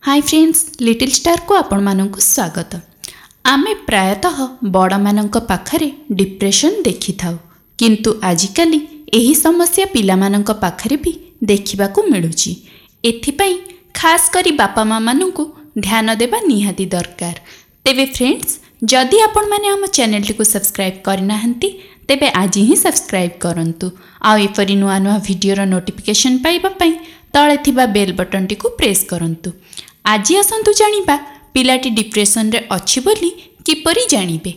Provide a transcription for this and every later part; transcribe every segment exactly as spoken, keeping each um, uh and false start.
High friends, little ଷ୍ଟାରକୁ ଆପଣମାନଙ୍କୁ ସ୍ୱାଗତ। ଆମେ ପ୍ରାୟତଃ ବଡ଼ମାନଙ୍କ ପାଖରେ ଡିପ୍ରେସନ୍ ଦେଖିଥାଉ, କିନ୍ତୁ ଆଜିକାଲି ଏହି ସମସ୍ୟା ପିଲାମାନଙ୍କ ପାଖରେ ବି ଦେଖିବାକୁ ମିଳୁଛି। ଏଥିପାଇଁ ଖାସ୍ କରି ବାପା ମାଆମାନଙ୍କୁ ଧ୍ୟାନ ଦେବା ନିହାତି ଦରକାର। ତେବେ ଫ୍ରେଣ୍ଡସ୍, ଯଦି ଆପଣମାନେ ଆମ ଚ୍ୟାନେଲଟିକୁ ସବସ୍କ୍ରାଇବ୍ କରିନାହାନ୍ତି, ତେବେ ଆଜି ହିଁ ସବସ୍କ୍ରାଇବ୍ କରନ୍ତୁ ଆଉ ଏପରି ନୂଆ ନୂଆ ଭିଡ଼ିଓର ନୋଟିଫିକେସନ୍ ପାଇବା ପାଇଁ ତଳେ ଥିବା ବେଲ୍ ବଟନ୍ଟିକୁ ପ୍ରେସ୍ କରନ୍ତୁ। ଆଜି ଆସନ୍ତୁ ଜାଣିବା, ପିଲାଟି ଡିପ୍ରେସନରେ ଅଛି ବୋଲି କିପରି ଜାଣିବେ।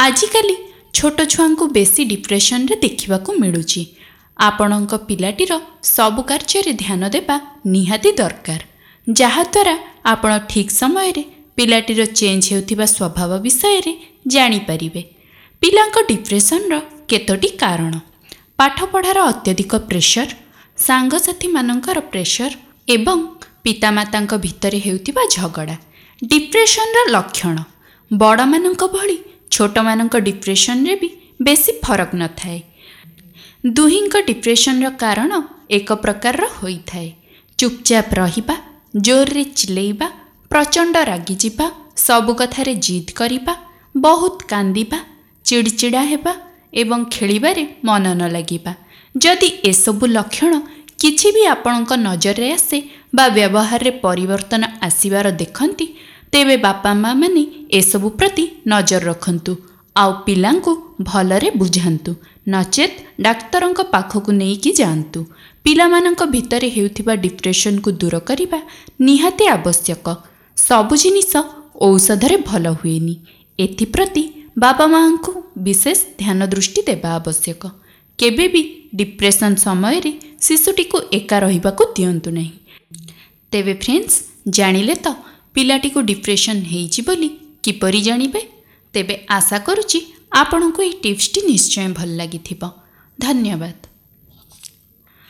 ଆଜିକାଲି ଛୋଟ ଛୁଆଙ୍କୁ ବେଶୀ ଡିପ୍ରେସନରେ ଦେଖିବାକୁ ମିଳୁଛି। ଆପଣଙ୍କ ପିଲାଟିର ସବୁ କାର୍ଯ୍ୟରେ ଧ୍ୟାନ ଦେବା ନିହାତି ଦରକାର, ଯାହାଦ୍ୱାରା ଆପଣ ଠିକ୍ ସମୟରେ ପିଲାଟିର ଚେଞ୍ଜ ହେଉଥିବା ସ୍ୱଭାବ ବିଷୟରେ ଜାଣିପାରିବେ। ପିଲାଙ୍କ ଡିପ୍ରେସନର କେତୋଟି କାରଣ: ପାଠପଢ଼ାର ଅତ୍ୟଧିକ ପ୍ରେସର, ସାଙ୍ଗସାଥିମାନଙ୍କର ପ୍ରେସର ଏବଂ ପିତାମାତାଙ୍କ ଭିତରେ ହେଉଥିବା ଝଗଡ଼ା। ଡିପ୍ରେସନର ଲକ୍ଷଣ ବଡ଼ମାନଙ୍କ ଭଳି ଛୋଟମାନଙ୍କ ଡିପ୍ରେସନରେ ବି ବେଶୀ ଫରକ ନଥାଏ। ଦୁହିଁଙ୍କ ଡିପ୍ରେସନର କାରଣ ଏକ ପ୍ରକାରର ହୋଇଥାଏ। ଚୁପଚାପ ରହିବା, ଜୋରରେ ଚିଲେଇବା, ପ୍ରଚଣ୍ଡ ରାଗିଯିବା, ସବୁ କଥାରେ ଜିଦ୍ କରିବା, ବହୁତ କାନ୍ଦିବା, ଚିଡ଼ିଚିଡ଼ା ହେବା ଏବଂ ଖେଳିବାରେ ମନ ନ ଲାଗିବା। ଯଦି ଏସବୁ ଲକ୍ଷଣ କିଛି ବି ଆପଣଙ୍କ ନଜରରେ ଆସେ ବା ବ୍ୟବହାରରେ ପରିବର୍ତ୍ତନ ଆସିବାର ଦେଖନ୍ତି, ତେବେ ବାପା ମାଆମାନେ ଏସବୁ ପ୍ରତି ନଜର ରଖନ୍ତୁ ଆଉ ପିଲାଙ୍କୁ ଭଲରେ ବୁଝାନ୍ତୁ, ନଚେତ୍ ଡାକ୍ତରଙ୍କ ପାଖକୁ ନେଇକି ଯାଆନ୍ତୁ। ପିଲାମାନଙ୍କ ଭିତରେ ହେଉଥିବା ଡିପ୍ରେସନକୁ ଦୂର କରିବା ନିହାତି ଆବଶ୍ୟକ। ସବୁ ଜିନିଷ ଔଷଧରେ ଭଲ ହୁଏନି। ଏଥିପ୍ରତି ବାପା ମାଆଙ୍କୁ ବିଶେଷ ଧ୍ୟାନ ଦୃଷ୍ଟି ଦେବା ଆବଶ୍ୟକ। କେବେ ବି ଡିପ୍ରେସନ୍ ସମୟରେ ଶିଶୁଟିକୁ ଏକା ରହିବାକୁ ଦିଅନ୍ତୁ ନାହିଁ। ତେବେ ଫ୍ରେଣ୍ଡସ୍, ଜାଣିଲେ ତ ପିଲାଟିକୁ ଡିପ୍ରେସନ୍ ହେଇଛି ବୋଲି କିପରି ଜାଣିବେ? ତେବେ ଆଶା କରୁଛି ଆପଣଙ୍କୁ ଏହି ଟିପ୍ସଟି ନିଶ୍ଚୟ ଭଲ ଲାଗିଥିବ। ଧନ୍ୟବାଦ।